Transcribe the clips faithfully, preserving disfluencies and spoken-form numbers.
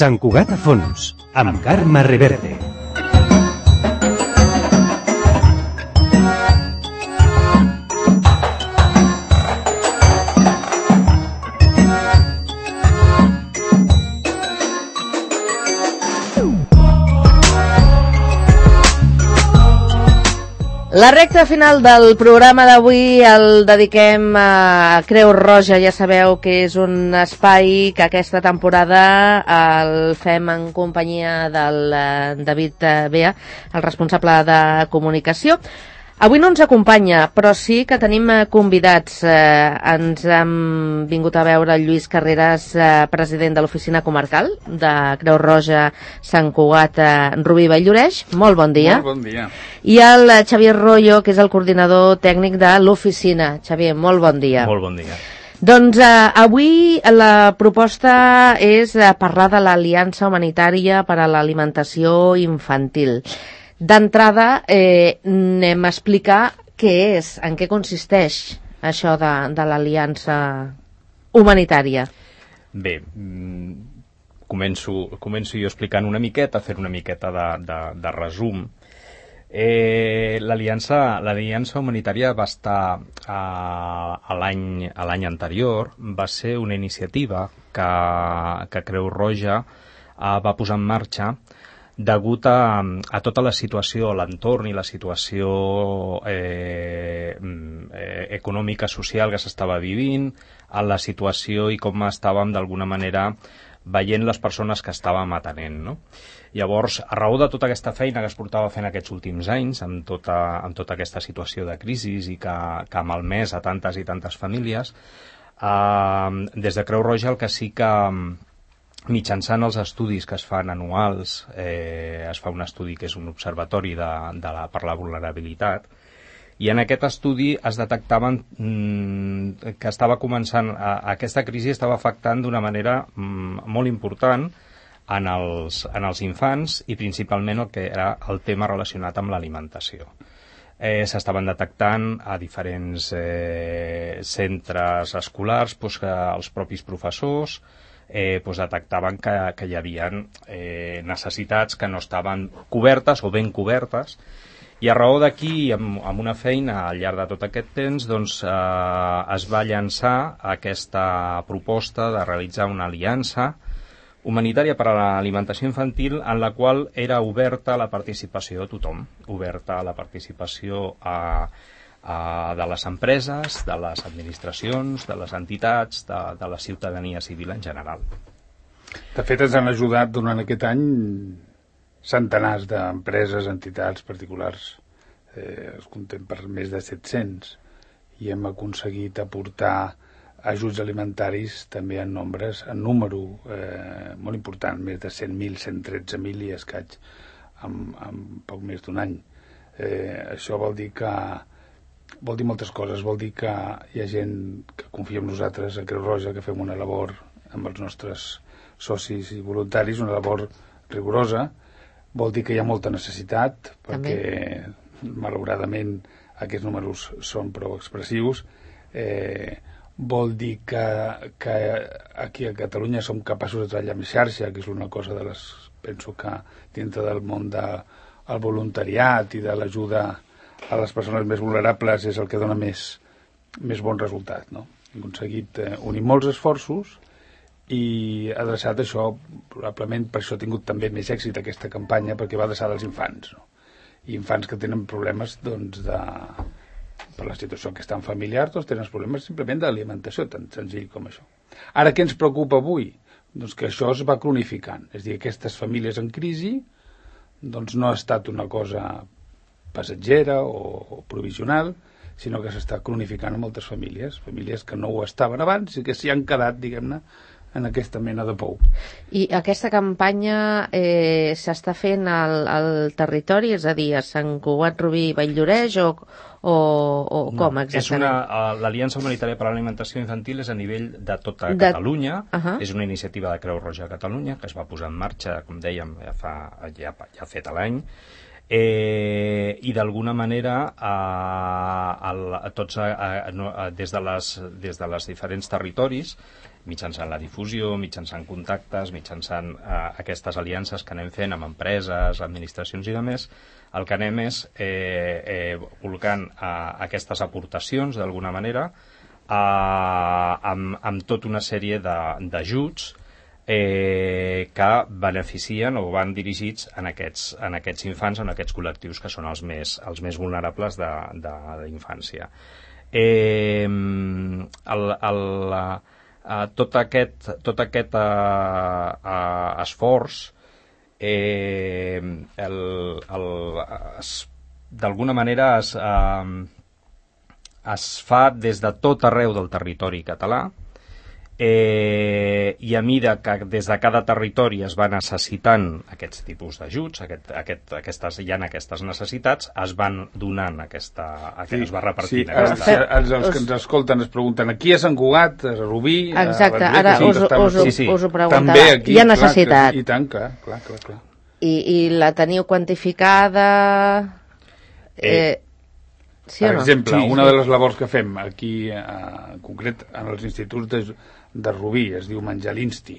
Sant Cugat a fons, amb Carme Reverte. La recta final del programa d'avui el dediquem a Creu Roja. Ja sabeu que és un espai que aquesta temporada el fem en companyia del David Bea, el responsable de comunicació. Avui no ens acompanya, però sí que tenim convidats. Eh, ens han vingut a veure el Lluís Carreras, eh, president de l'oficina comarcal de Creu Roja Sant Cugat, eh, Rubí Vall-lloreix. Molt bon dia. Molt bon dia. I el Xavier Royo, que és el coordinador tècnic de l'oficina. Xavier, molt bon dia. Molt bon dia. Doncs eh, avui la proposta és eh, parlar de l'Aliança Humanitària per a l'Alimentació Infantil. D'entrada, eh, anem a explicar què és, en què consisteix això de, de l'Aliança Humanitària. Bé, començo, començo jo explicant una miqueta, fer una miqueta de, de, de resum. Eh, L'Aliança l'Aliança Humanitària va estar a, a l'any a l'any anterior, va ser una iniciativa que, que Creu Roja eh, va posar en marxa degut a, a tota la situació, l'entorn i la situació eh, eh, econòmica, social que s'estava vivint, a la situació i com estàvem d'alguna manera veient les persones que estàvem atenent, no? Llavors, a raó de tota aquesta feina que es portava fent aquests últims anys, amb tota, amb tota aquesta situació de crisi i que, que ha malmès a tantes i tantes famílies, eh, des de Creu Roja el que sí que mitjançant els estudis que es fan anuals, eh, es fa un estudi que és un observatori de, de la, per la vulnerabilitat, i en aquest estudi es detectaven mm, que estava començant, a, aquesta crisi estava afectant d'una manera mm, molt important en els, en els infants i principalment el que era el tema relacionat amb l'alimentació. Eh, s'estaven detectant a diferents eh, centres escolars doncs, que els propis professors Eh, doncs detectaven que, que hi havia eh, necessitats que no estaven cobertes o ben cobertes, i a raó d'aquí, amb, amb una feina al llarg de tot aquest temps, doncs, eh, es va llançar aquesta proposta de realitzar una aliança humanitària per a l'alimentació infantil en la qual era oberta la participació de tothom, oberta la participació a Uh, de les empreses, de les administracions, de les entitats, de, de la ciutadania civil en general. De fet, ens han ajudat durant aquest any centenars d'empreses, entitats particulars. Eh, es comptem per més de set-cents i hem aconseguit aportar ajuts alimentaris també en nombres, en número eh, molt important, més de cent mil, cent tretze mil i escaig en, en poc més d'un any. Eh, això vol dir que vol dir moltes coses, vol dir que hi ha gent que confia en nosaltres a Creu Roja, que fem una labor amb els nostres socis i voluntaris, una labor rigorosa, vol dir que hi ha molta necessitat, perquè també, malauradament aquests números són prou expressius, eh, vol dir que, que aquí a Catalunya som capaços de treballar amb xarxa, que és una cosa de les, penso que dintre del món del voluntariat i de l'ajuda a les persones més vulnerables és el que dona més, més bon resultat, no? Hem aconseguit eh, unir molts esforços i adreçat això, probablement per això ha tingut també més èxit aquesta campanya, perquè va adreçada als infants, no? I infants que tenen problemes, doncs, de, per la situació que estan familiars, doncs tenen problemes simplement d'alimentació, tan senzill com això. Ara, què ens preocupa avui? Doncs que això es va cronificant, és a dir, aquestes famílies en crisi, doncs no ha estat una cosa passatgera o, o provisional, sinó que s'està cronificant en moltes famílies, famílies que no ho estaven abans i que s'hi han quedat, diguem-ne, en aquesta mena de pou. I aquesta campanya eh, s'està fent al, al territori, és a dir, a Sant Cugat, Rubí, Vall-lloreix o, o, o no, com exactament? L'Aliança Humanitària per a l'Alimentació Infantil és a nivell de tota de... Catalunya, uh -huh. és una iniciativa de Creu Roja a Catalunya que es va posar en marxa, com dèiem, ja fa ja, ja ha fet l'any. Eh, i d'alguna manera eh, el, tots eh, eh, des, de les, des de les diferents territoris, mitjançant la difusió, mitjançant contactes, mitjançant eh, aquestes aliances que anem fent amb empreses, administracions i demés, el que anem és eh, eh, volcant eh, aquestes aportacions d'alguna manera eh, amb, amb tota una sèrie d'ajuts Eh, que beneficien o van dirigits en aquests, en aquests infants, en aquests col·lectius que són els més, els més vulnerables de, de, de infància. Eh, el, el, eh, tot aquest, tot aquest eh, eh, esforç eh, el, el, d'alguna manera es, eh, es fa des de tot arreu del territori català. Eh, i a mida que des de cada territori es va necessitant aquests tipus d'ajuts, aquest, aquest, aquestes, hi ha aquestes necessitats, es van donant aquesta, sí, es va repartint. Sí, aquesta... els, els que ens escolten es pregunten aquí a Sant Cugat, a Rubí... Exacte, a ara sí, us, us, sí, sí. us ho preguntava. Aquí, hi ha necessitat. Clar, que, I tant, clar, clar, clar. clar. I, I la teniu quantificada... Eh... eh Sí per o no? exemple, sí, una sí. de les labors que fem aquí, eh, en concret, en els instituts de, de Rubí, es diu Menjar l'Insti.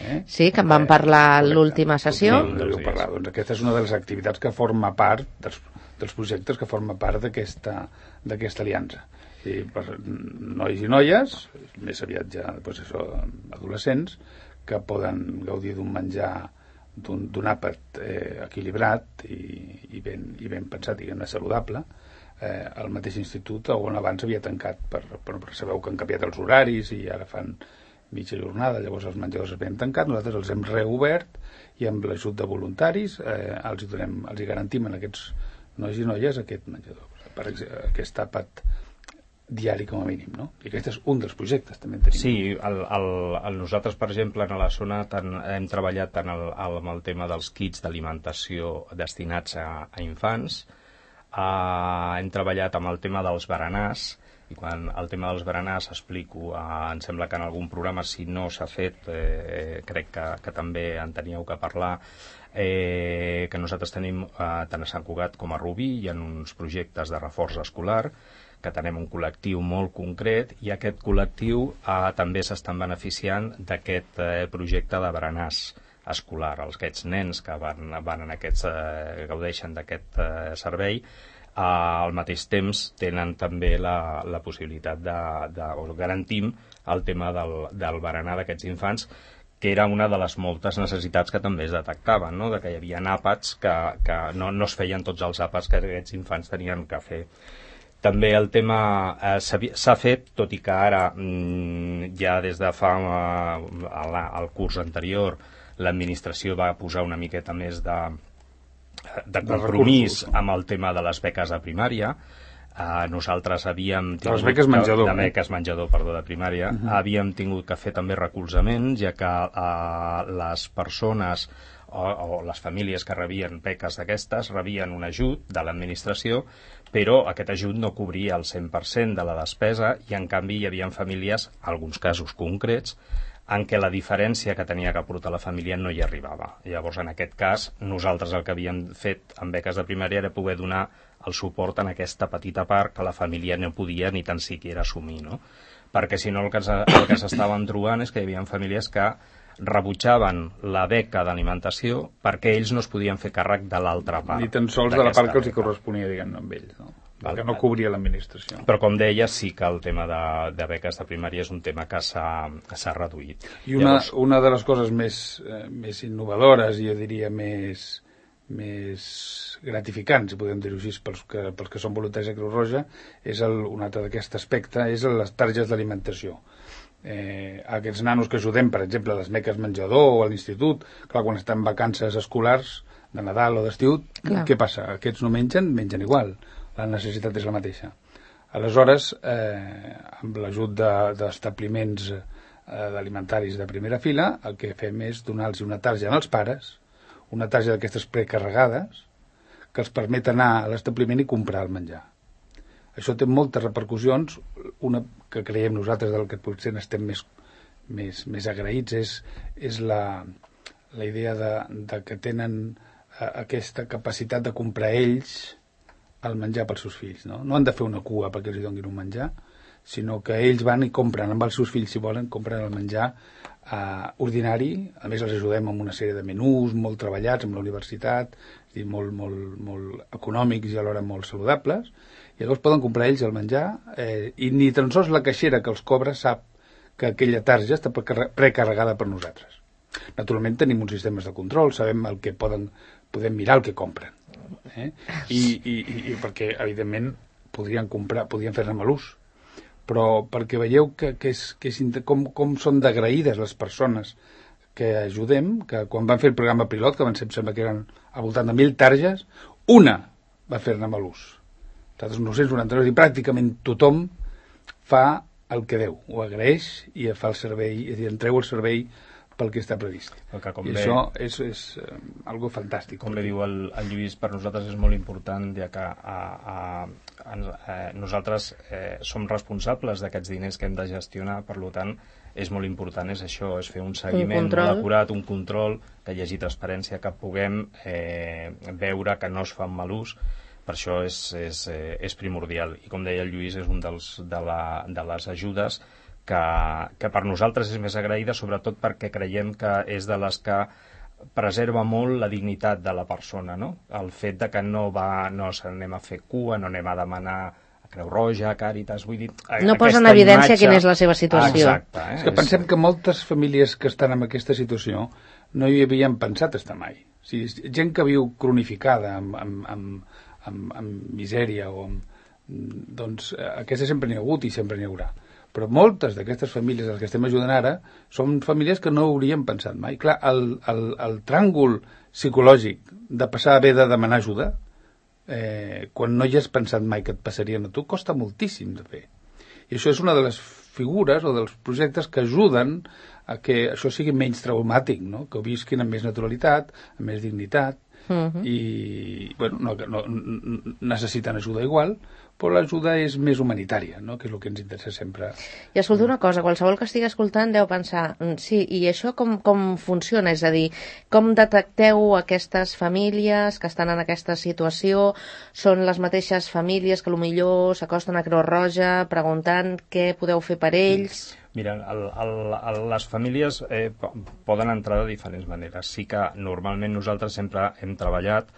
Eh? Sí, que en vam parlar a l'última sessió. Sí, sí, parlar. Doncs aquesta és una de les activitats que forma part dels, dels projectes que forma part d'aquesta d'aquesta aliança. I per nois i noies, més aviat ja doncs això, adolescents, que poden gaudir d'un menjar, d'un àpat eh, equilibrat i, i, ben, i ben pensat, diguem-ne, saludable, eh, al mateix institut on abans havia tancat per, per, per sabeu que han canviat els horaris i ara fan mitja jornada, llavors els menjadors havien tancat, nosaltres els hem reobert i amb l'ajut de voluntaris eh, els, hi donem, els hi garantim a aquests nois i noies aquest menjador, per exemple, aquest àpat diari com a mínim, no? I aquest és un dels projectes, també en tenim. Sí, el, el, el, nosaltres, per exemple, a la zona tant, hem treballat tant el, el, amb el tema dels kits d'alimentació destinats a, a infants, Uh, hem treballat amb el tema dels berenars, i quan el tema dels berenars explico, uh, em sembla que en algun programa, si no s'ha fet, eh, crec que, que també en teníeu que parlar, eh, que nosaltres tenim uh, tant a Sant Cugat com a Rubí, hi ha uns projectes de reforç escolar, que tenim un col·lectiu molt concret, i aquest col·lectiu uh, també s'estan beneficiant d'aquest eh, projecte de berenars escolar. Els, aquests nens que van, van en aquests, eh, gaudeixen d'aquest eh, servei, eh, al mateix temps tenen també la, la possibilitat de, de, o garantim el tema del, del berenar d'aquests infants, que era una de les moltes necessitats que també es detectaven, no? De que hi havia àpats que, que no, no es feien tots els àpats que aquests infants tenien que fer. També el tema eh, s'ha fet, tot i que ara mm, ja des de fa eh, el curs anterior l'administració va posar una miqueta més de, de compromís de amb el tema de les beques de primària. Uh, nosaltres havíem tingut... Les beques menjador. De beques menjador, perdó, de primària. Uh -huh. Havíem tingut que fer també recolzaments, ja que uh, les persones o, o les famílies que rebien beques d'aquestes rebien un ajut de l'administració, però aquest ajut no cobria el cent per cent de la despesa i, en canvi, hi havia famílies, alguns casos concrets, en què la diferència que tenia que aportar la família no hi arribava. Llavors, en aquest cas, nosaltres el que havíem fet amb beques de primària era poder donar el suport en aquesta petita part que la família no podia ni tan siquiera assumir, no? Perquè si no el que, el que s'estaven trobant és que hi havia famílies que rebutjaven la beca d'alimentació perquè ells no es podien fer càrrec de l'altra part. Ni tan sols de la part que els hi corresponia, diguem-ne, amb ells, no? Val, que no cobria l'administració. Però, com deia, sí que el tema de, de beques de primària és un tema que s'ha reduït. I una, Llavors... una de les coses més, eh, més innovadores, jo diria més, més gratificants, si podem dir-ho així, pels que, pels que són voluntaris a Creu Roja, és el, un altre d'aquest aspecte, és les targes d'alimentació. Eh, aquests nanos que ajudem, per exemple, a les beques menjador o a l'institut, clar, quan estan en vacances escolars, de Nadal o d'estiu, què passa? Aquests no mengen, mengen igual. La necessitat és la mateixa. Aleshores, eh, amb l'ajut d'establiments de, eh, alimentaris de primera fila, el que fem és donar-los una tarja als pares, una tarja d'aquestes precarregades, que els permet anar a l'establiment i comprar el menjar. Això té moltes repercussions, una que creiem nosaltres del que potser n'estem més, més, més agraïts és, és la, la idea de, de que tenen aquesta capacitat de comprar ells el menjar pels seus fills, no? No han de fer una cua perquè els donin un menjar, sinó que ells van i compren amb els seus fills, si volen, compren el menjar eh, ordinari. A més els ajudem amb una sèrie de menús molt treballats amb la universitat, és dir, molt, molt, molt econòmics i alhora molt saludables, i llavors poden comprar ells el menjar eh, i ni tan sols la caixera que els cobra sap que aquella tarja està precarregada per nosaltres. Naturalment tenim uns sistemes de control, sabem el que poden, podem mirar el que compren. Eh? I, i, i perquè evidentment podrien comprar, podrien fer-ne mal ús, però perquè veieu que, que és, que és, com, com són d'agraïdes les persones que ajudem, que quan van fer el programa pilot, que van ser, em sembla que eren al voltant de mil targes, una va fer-ne mal ús. Nosaltres nou-cents noranta-dos i pràcticament tothom fa el que deu, ho agraeix i fa el servei, és a dir, entreu el servei pel que està previst. Que, com I bé, això és, és uh, algo fantàstic. Com bé diu el, el Lluís, per nosaltres és molt important, ja que a, a, a, a, nosaltres eh, som responsables d'aquests diners que hem de gestionar, per tant, és molt important, és això, és fer un seguiment un molt acurat, un control, que hi hagi transparència, que puguem eh, veure que no es fa mal ús. Per això és, és, eh, és primordial. I com deia el Lluís, és un dels, de, la, de les ajudes que, que per nosaltres és més agraïda, sobretot perquè creiem que és de les que preserva molt la dignitat de la persona, no? El fet de que no va, no anem a fer cua, no anem a demanar a Creu Roja, a Càritas, vull dir... No posa en evidència imatge... quina és la seva situació. Exacte. Eh? És que pensem que moltes famílies que estan en aquesta situació no hi havien pensat estar mai. O sigui, gent que viu cronificada amb, amb, amb, amb, amb misèria o amb... doncs aquesta sempre n'hi ha hagut i sempre n'hi haurà. Però moltes d'aquestes famílies a les que estem ajudant ara són famílies que no haurien pensat mai. Clar, el, el, el tràngol psicològic de passar a haver de demanar ajuda, eh, quan no hi has pensat mai que et passarien a tu, costa moltíssim de fer. I això és una de les figures o dels projectes que ajuden a que això sigui menys traumàtic, no? Que ho visquin amb més naturalitat, amb més dignitat, uh-huh. i bueno, no, no, necessiten ajuda igual, però l'ajuda és més humanitària, no? Que és el que ens interessa sempre. I escolta una cosa, qualsevol que estigui escoltant deu pensar, sí, i això com, com funciona? És a dir, com detecteu aquestes famílies que estan en aquesta situació? Són les mateixes famílies que potser s'acosten a Creu Roja preguntant què podeu fer per ells? Mira, el, el, el, les famílies eh, poden entrar de diferents maneres. Sí que normalment nosaltres sempre hem treballat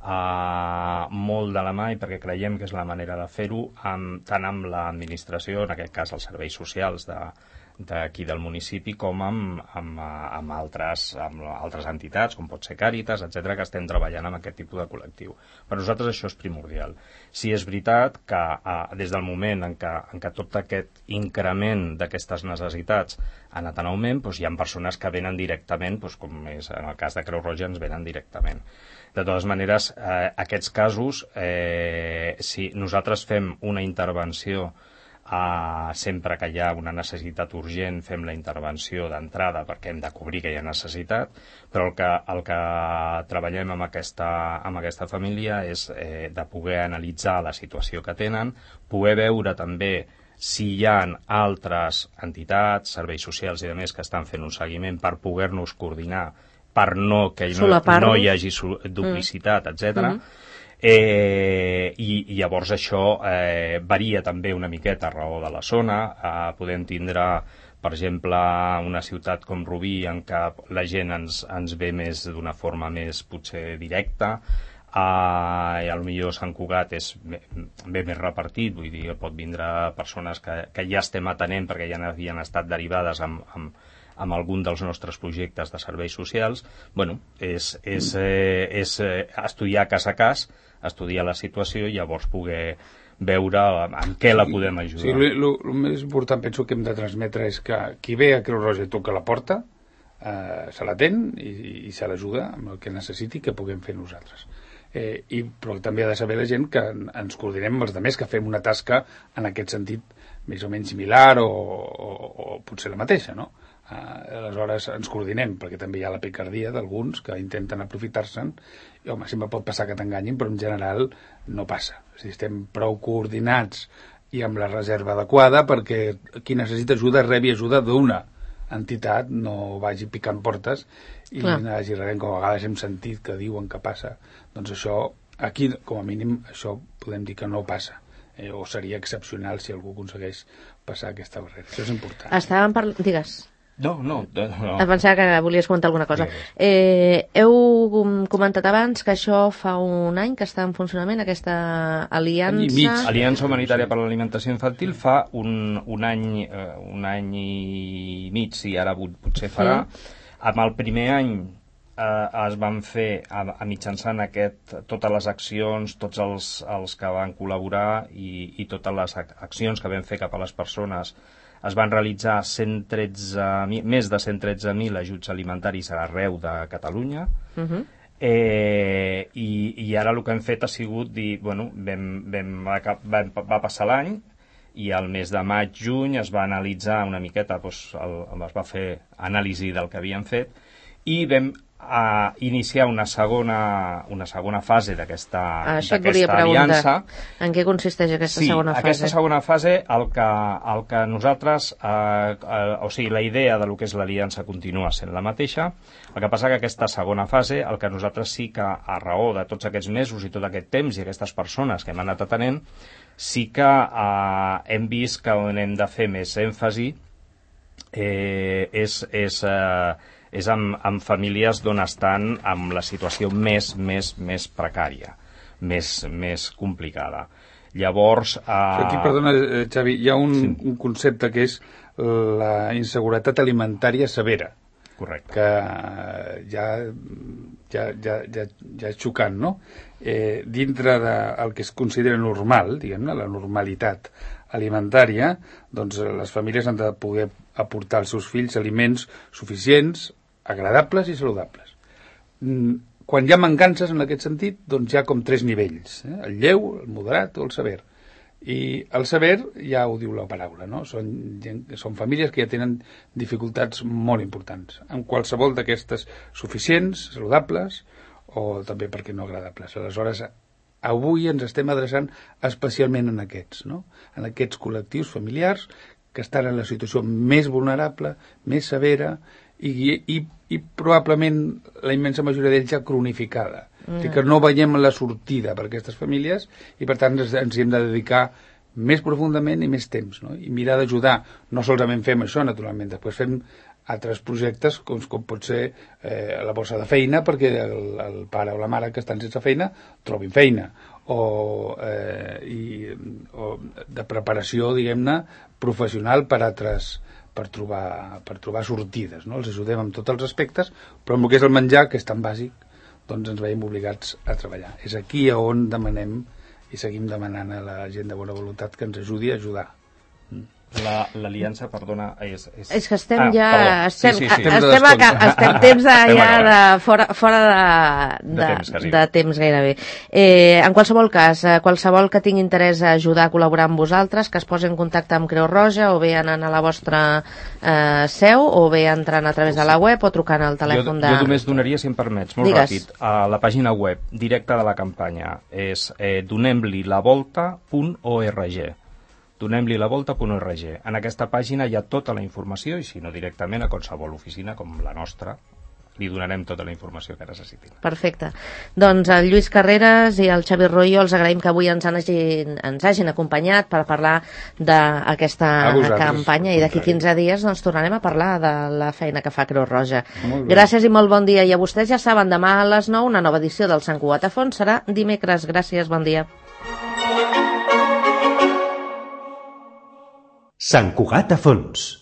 Uh, molt de la mà i perquè creiem que és la manera de fer-ho amb, tant amb l'administració, en aquest cas els serveis socials de, d'aquí del municipi, com amb, amb, amb, altres, amb altres entitats, com pot ser Càritas, etcètera, que estem treballant amb aquest tipus de col·lectiu. Per nosaltres això és primordial. Sí és veritat que uh, des del moment en què, en què tot aquest increment d'aquestes necessitats ha anat en augment, doncs hi ha persones que venen directament, doncs, com és en el cas de Creu Roja, ens venen directament. De totes maneres, eh, aquests casos, eh, si nosaltres fem una intervenció eh, sempre que hi ha una necessitat urgent, fem la intervenció d'entrada perquè hem de cobrir aquella necessitat, però el que, el que treballem amb aquesta, amb aquesta família és eh, de poder analitzar la situació que tenen, poder veure també si hi ha altres entitats, serveis socials i demés que estan fent un seguiment per poder-nos coordinar per no que no, no hi hagi duplicitat, mm. etcètera. Mm. Eh, i, I llavors això eh, varia també una miqueta a raó de la zona. Eh, podem tindre, per exemple, una ciutat com Rubí en què la gent ens, ens ve més d'una forma més potser directa, Uh, i potser Sant Cugat és bé, bé més repartit, vull dir, pot vindre persones que, que ja estem atenent perquè ja havien estat derivades amb, amb, amb algun dels nostres projectes de serveis socials. Bueno, és, és, eh, és eh, estudiar cas a cas, estudiar la situació i llavors poder veure en què la podem ajudar. Sí, el més important penso que hem de transmetre és que qui ve a Creu Roja i toca la porta eh, se l'atén i, i se l'ajuda amb el que necessiti que puguem fer nosaltres. Eh, i, però també ha de saber la gent que ens coordinem amb els altres, que fem una tasca en aquest sentit més o menys similar o, o, o potser la mateixa, no? Eh, aleshores ens coordinem, perquè també hi ha la picardia d'alguns que intenten aprofitar-se'n i home, sempre pot passar que t'enganyin, però en general no passa. O sigui, estem prou coordinats i amb la reserva adequada perquè qui necessita ajuda rebi ajuda d'una entitat no vagi picant portes i Clar. no hagi rebent, com a vegades hem sentit que diuen que passa. Doncs això, aquí, com a mínim, això podem dir que no passa. Eh, o seria excepcional si algú aconsegueix passar aquesta barrera. Això és important. Estàvem parlant... Digues. No, no. no. Em pensava que volies comentar alguna cosa. Digues. Eh, heu comentat abans que això fa un any que està en funcionament, aquesta Any i mig. aliança... Aliança Humanitària per l'Alimentació Infantil fa un, un, any, eh, un any i mig, si ara potser farà. Sí. Amb el primer any eh, es van fer, a, a mitjançant aquest, totes les accions, tots els, els que van col·laborar i, i totes les ac accions que vam fer cap a les persones, es van realitzar cent tretze mil, més de cent tretze mil ajuts alimentaris arreu de Catalunya. Uh -huh. eh, i, I ara el que hem fet ha sigut dir, bueno, vam, vam, vam, va passar l'any i al mes de maig-juny es va analitzar una miqueta, doncs, el, es va fer anàlisi del que havíem fet i vam a iniciar una segona, una segona fase d'aquesta aliança. En què consisteix aquesta sí, segona fase? Sí, aquesta segona fase, el que, el que nosaltres, eh, eh, o sigui, la idea de lo que és l'aliança continua sent la mateixa, el que passa que aquesta segona fase, el que nosaltres sí que, a raó de tots aquests mesos i tot aquest temps i aquestes persones que hem anat atenent, sí que eh, hem vist que on hem de fer més èmfasi eh, és... és eh, és amb, amb famílies d'on estan amb la situació més, més, més precària, més, més complicada. Llavors... Eh... Aquí, perdona, Xavi, hi ha un, sí. un concepte que és la inseguretat alimentària severa. Correcte. Que ja, ja, ja, ja, ja és xocant, no? Eh, dintre del que es considera normal, diguem-ne, la normalitat alimentària, doncs les famílies han de poder aportar als seus fills aliments suficients, agradables i saludables. Quan hi ha mancances en aquest sentit, doncs hi ha com tres nivells, eh? El lleu, el moderat o el sever. I el sever ja ho diu la paraula, no? Són, són famílies que ja tenen dificultats molt importants. En qualsevol d'aquestes suficients, saludables o també, per què no, agradables. Aleshores, avui ens estem adreçant especialment en aquests, no? En aquests col·lectius familiars que estan en la situació més vulnerable, més severa i, i, i probablement la immensa majoria d'ells ja cronificada. Mm. Que no veiem la sortida per aquestes famílies i per tant ens, ens hi hem de dedicar més profundament i més temps, no? I mirar d'ajudar. No solament fem això, naturalment, després fem altres projectes com, com pot ser eh, la borsa de feina perquè el, el pare o la mare que estan sense feina trobin feina o, eh, i, o de preparació, diguem-ne, professional per altres per trobar, per trobar sortides, no? Els ajudem en tots els aspectes, però amb el que és el menjar, que és tan bàsic, doncs ens veiem obligats a treballar. És aquí on demanem i seguim demanant a la gent de bona voluntat que ens ajudi a ajudar. L'aliança, perdona, és... És, és que estem ah, ja... perdó. Estem, sí, sí, sí. estem, estem, a, estem temps de, ja de, fora, fora de, de, de, temps, de, de temps gairebé. Eh, en qualsevol cas, qualsevol que tingui interès a ajudar a col·laborar amb vosaltres, que es posi en contacte amb Creu Roja o bé anant a la vostra eh, seu o bé entrant a través de la web o trucant al telèfon jo, de... Jo només donaria, si em permets, molt Digues. ràpid, a la pàgina web directa de la campanya. És eh, donem-li la volta punt org. donem-li la volta punt org. En aquesta pàgina hi ha tota la informació i si no directament a qualsevol oficina com la nostra li donarem tota la informació que necessitin. Perfecte. Doncs el Lluís Carreras i el Xavi Royo els agraïm que avui ens, han hagin, ens hagin acompanyat per parlar d'aquesta campanya i d'aquí quinze dies doncs, tornarem a parlar de la feina que fa Creu Roja. Gràcies i molt bon dia. I a vostès ja saben, demà a les nou una nova edició del Sant Cugat a Fons serà dimecres. Gràcies, bon dia. Sant Cugat a Fons.